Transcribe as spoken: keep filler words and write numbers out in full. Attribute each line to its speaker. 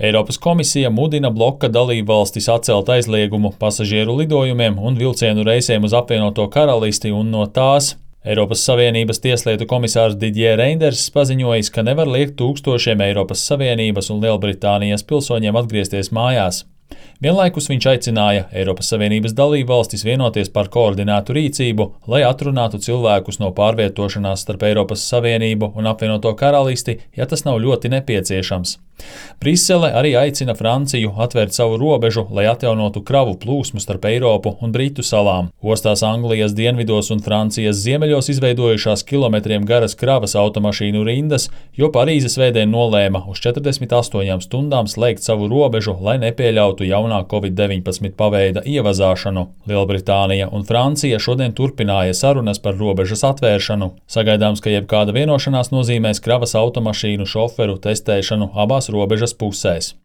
Speaker 1: Eiropas komisija mudina bloka dalībvalstis atcelt aizliegumu pasažieru lidojumiem un vilcienu reisiem uz apvienoto karalisti un no tās. Eiropas Savienības tieslietu komisārs Didier Reinders paziņojis, ka nevar liekt tūkstošiem Eiropas Savienības un Lielbritānijas pilsoņiem atgriezties mājās. Vienlaikus viņš aicināja Eiropas Savienības dalībvalstis vienoties par koordinētu rīcību, lai atrunātu cilvēkus no pārvietošanās starp Eiropas Savienību un apvienoto karalisti, ja tas nav ļoti nepieciešams. Brisele arī aicina Franciju atvērt savu robežu, lai atjaunotu kravu plūsmu starp Eiropu un Britu salām. Ostās Anglijas dienvidos un Francijas ziemeļos izveidojušās kilometriem garas kravas automašīnu rindas, jo Parīzes vēdien nolēma uz četrdesmit astoņām stundām slēgt savu robežu, lai nepieļautu jaunā covid deviņpadsmit paveida ievazāšanu. Lielbritānija un Francija šodien turpināja sarunas par robežas atvēršanu. Sagaidāms, ka jebkāda vienošanās nozīmēs kravas automašīnu šoferu testēšanu abās robežas pusēs.